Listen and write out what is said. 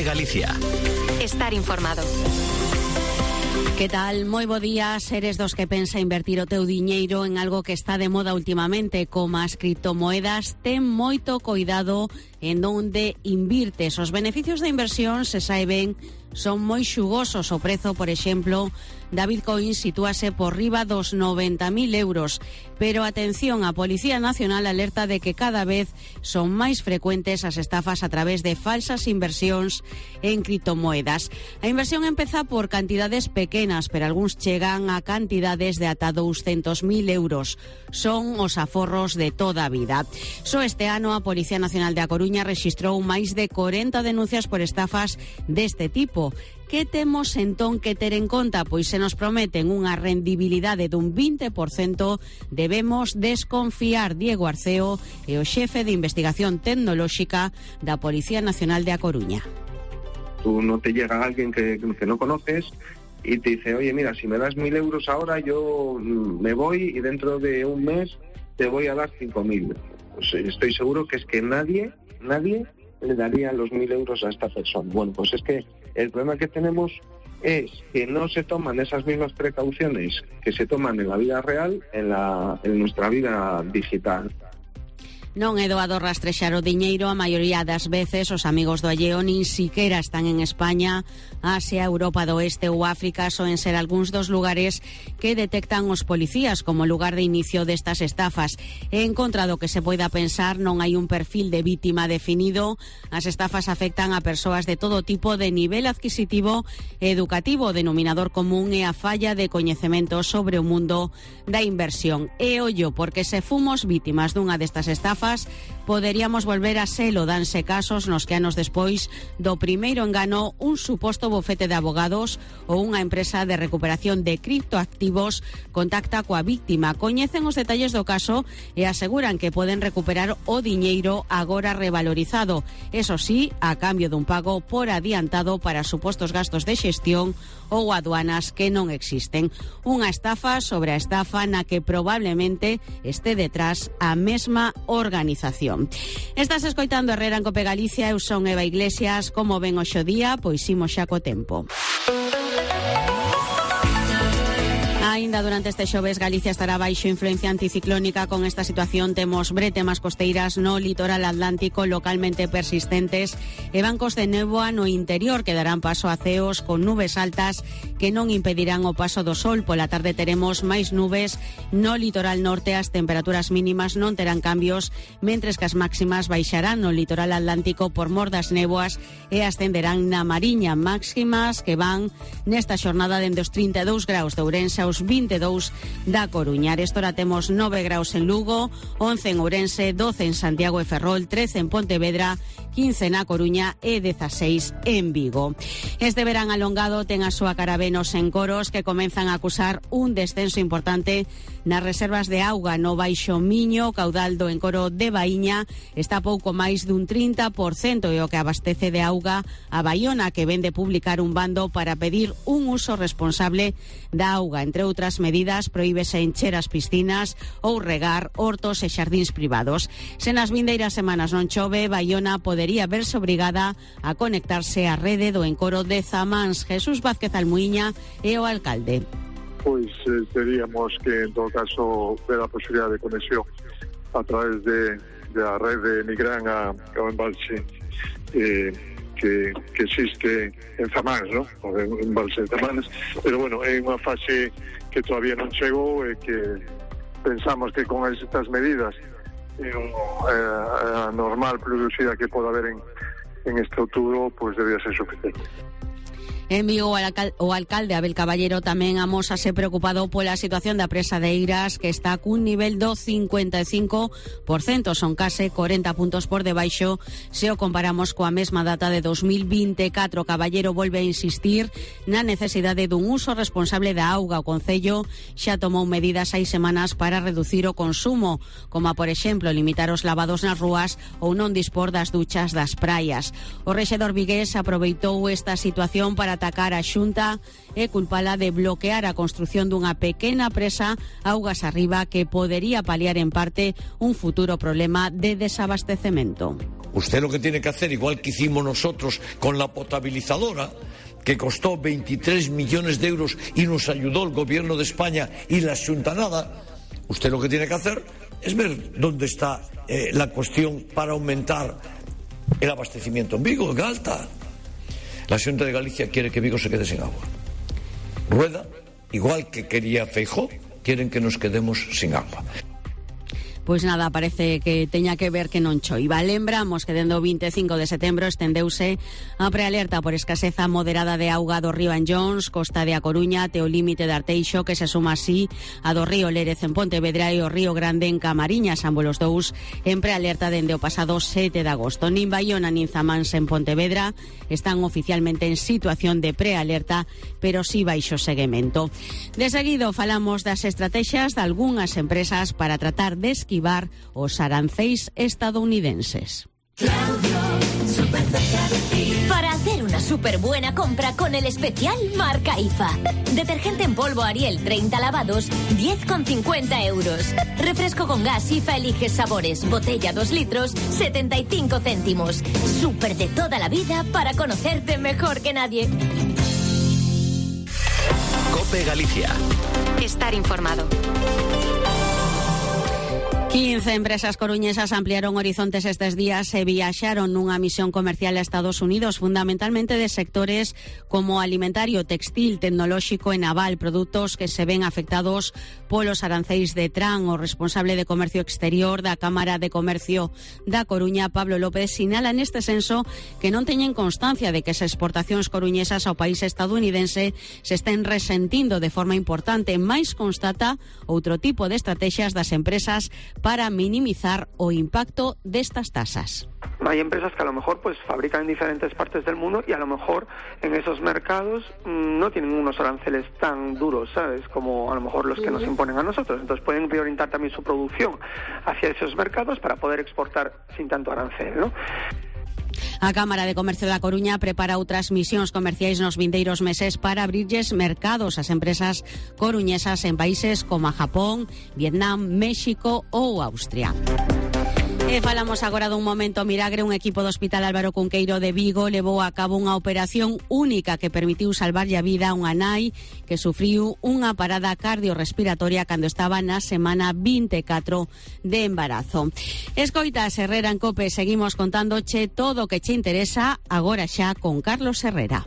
Cope Galicia. Estar informado. Que tal? Moi bo día. Seres dos que pensa invertir o teu diñeiro en algo que está de moda últimamente, como as criptomoedas, ten moito coidado en onde invirtes. Os beneficios da inversión, se sae ben, son moi xugosos. O prezo, por exemplo, da Bitcoin sitúase por riba dos 90.000 euros. Pero atención, a Policía Nacional alerta de que cada vez son máis frecuentes as estafas a través de falsas inversións en criptomoedas. A inversión empeza por cantidades pequenas, pero algúns chegan a cantidades de ata 200.000 euros. Son os aforros de toda a vida. Só este ano a Policía Nacional de A Coruña rexistrou máis de 40 denuncias por estafas deste tipo. Que temos entón que ter en conta? Pois se nos prometen unha rendibilidade dun 20%, debemos desconfiar. Diego Arceo é o xefe de investigación tecnolóxica da Policía Nacional de A Coruña. Tú no te llega alguien que no conoces y te dice, oye, mira, si me das 1.000 euros ahora, yo me voy y dentro de un mes te voy a dar 5.000. Pues estoy seguro que es que nadie le daría los 1.000 euros a esta persona. Bueno, pues es que el problema que tenemos es que no se toman esas mismas precauciones que se toman en la vida real, en nuestra vida digital. Non é doado rastrexar o diñeiro. A maioría das veces os amigos do alleo nin siquera están en España. Asia, Europa do Oeste ou África soen ser algúns dos lugares que detectan os policías como lugar de inicio destas estafas. En contra do que se poida pensar, non hai un perfil de vítima definido. As estafas afectan a persoas de todo tipo de nivel adquisitivo e educativo. O denominador común é a falla de coñecemento sobre o mundo da inversión. E ollo, porque se fomos vítimas dunha destas estafas, poderíamos volver a selo. Danse casos nos que anos despois do primeiro engano, un suposto bufete de abogados ou unha empresa de recuperación de criptoactivos contacta coa víctima, coñecen os detalles do caso e aseguran que poden recuperar o diñeiro agora revalorizado, eso sí, a cambio dun pago por adiantado para supostos gastos de xestión ou aduanas que non existen. Unha estafa sobre a estafa na que probablemente este detrás a mesma organización. Estás escoitando Herrera en Cope Galicia. Eu son Eva Iglesias. Como ven hoxe o día? Pois imos xa co tempo. Ainda durante este xoves, Galicia estará baixo influencia anticiclónica. Con esta situación temos bretemas costeiras no litoral atlántico localmente persistentes e bancos de néboa no interior que darán paso a ceos con nubes altas que non impedirán o paso do sol. Pola tarde teremos máis nubes no litoral norte. As temperaturas mínimas non terán cambios, mentres que as máximas baixarán no litoral atlántico por mor das néboas e ascenderán na Mariña, máximas que van nesta xornada dende os 32 graus de Ourense aos 22 da Coruña. Arestora temos 9 graus en Lugo, 11 en Ourense, 12 en Santiago e Ferrol, 13 en Pontevedra, 15 na Coruña e 16 en Vigo. Este verán alongado ten a súa cara ben os encoros, que comenzan a acusar un descenso importante nas reservas de auga no Baixo Miño. O caudal do encoro de Baíña está pouco máis dun 30% e o que abastece de auga a Baiona, que vende publicar un bando para pedir un uso responsable da auga. Entre outras medidas, prohíbese encher as piscinas ou regar hortos e xardíns privados. Se nas vindeiras semanas non chove, Baiona podería verse obrigada a conectarse á rede do encoro de Zamáns. Jesús Vázquez Almuíña é o alcalde. Pois teríamos que, en todo caso, ver a posibilidade de conexión a través da rede Nigrán ao embalse que existe en Zamáns, ¿no? O embalse de Zamáns, pero bueno, é unha fase que todavía non chegou e que pensamos que con estas medidas a normal pluviosidade que pode haber en este outubro, pois debía ser suficiente. En Vigo, o alcalde Abel Caballero tamén amósase preocupado pola situación da presa de Eiras, que está cun nivel do 55%, son case 40 puntos por debaixo se o comparamos coa mesma data de 2024. Caballero volve a insistir na necesidade dun uso responsable da auga. O Concello xa tomou medidas hai semanas para reducir o consumo, como por exemplo limitar os lavados nas rúas ou non dispor das duchas das praias. O rexedor vigués aproveitou esta situación para atacar a Xunta e culpala de bloquear a construción dunha pequena presa augas arriba que podería paliar en parte un futuro problema de desabastecemento. Usted lo que tiene que hacer, igual que hicimos nosotros con la potabilizadora, que costó 23 millones de euros y nos ayudó el gobierno de España y la Xuntanada, usted lo que tiene que hacer es ver dónde está la cuestión para aumentar el abastecimiento en Vigo, en Galta. La Xunta de Galicia quiere que Vigo se quede sin agua. Rueda, igual que quería Feijóo, quieren que nos quedemos sin agua. Pois nada, parece que teña que ver que non choiva. Lembramos que dende o 25 de setembro estendeuse a prealerta por escaseza moderada de auga do río Anllóns, costa de A Coruña, até o límite de Arteixo, que se suma así a do río Lérez en Pontevedra e o río Grande en Camariñas, ambos os dous en prealerta dende o pasado 7 de agosto. Nin Baiona nin Zamáns en Pontevedra están oficialmente en situación de prealerta, pero sí baixo seguimento. De seguido falamos das estrategias de algunhas empresas para tratar de esquivar os aranceis estadounidenses. Para hacer una súper buena compra con el especial marca IFA. Detergente en polvo Ariel 30 lavados, 10,50 euros. Refresco con gas IFA Eliges Sabores, botella 2 litros, 75 céntimos. Súper de toda la vida para conocerte mejor que nadie. COPE Galicia. Estar informado. 15 empresas coruñesas ampliaron horizontes estes días e viaxaron nunha misión comercial a Estados Unidos, fundamentalmente de sectores como alimentario, textil, tecnolóxico e naval, produtos que se ven afectados polos aranceis de Trump. O responsable de Comercio Exterior da Cámara de Comercio da Coruña, Pablo López, sinala neste senso que non teñen constancia de que as exportacións coruñesas ao país estadounidense se estén resentindo de forma importante, máis constata outro tipo de estrategias das empresas para minimizar o impacto de estas tasas. Hay empresas que a lo mejor pues fabrican en diferentes partes del mundo y a lo mejor en esos mercados no tienen unos aranceles tan duros, ¿sabes? Como a lo mejor los que nos imponen a nosotros. Entonces pueden reorientar también su producción hacia esos mercados para poder exportar sin tanto arancel, ¿no? A Cámara de Comercio da Coruña prepara outras misións comerciais nos vindeiros meses para abrirlles mercados ás empresas coruñesas en países como Japón, Vietnam, México ou Austria. E falamos agora dun momento milagre. Un equipo do Hospital Álvaro Cunqueiro de Vigo levou a cabo unha operación única que permitiu salvarlle a vida a unha nai que sufriu unha parada cardiorrespiratoria cando estaba na semana 24 de embarazo. Escoitas Herrera en COPE, seguimos contándoche todo o que che interesa agora xa con Carlos Herrera.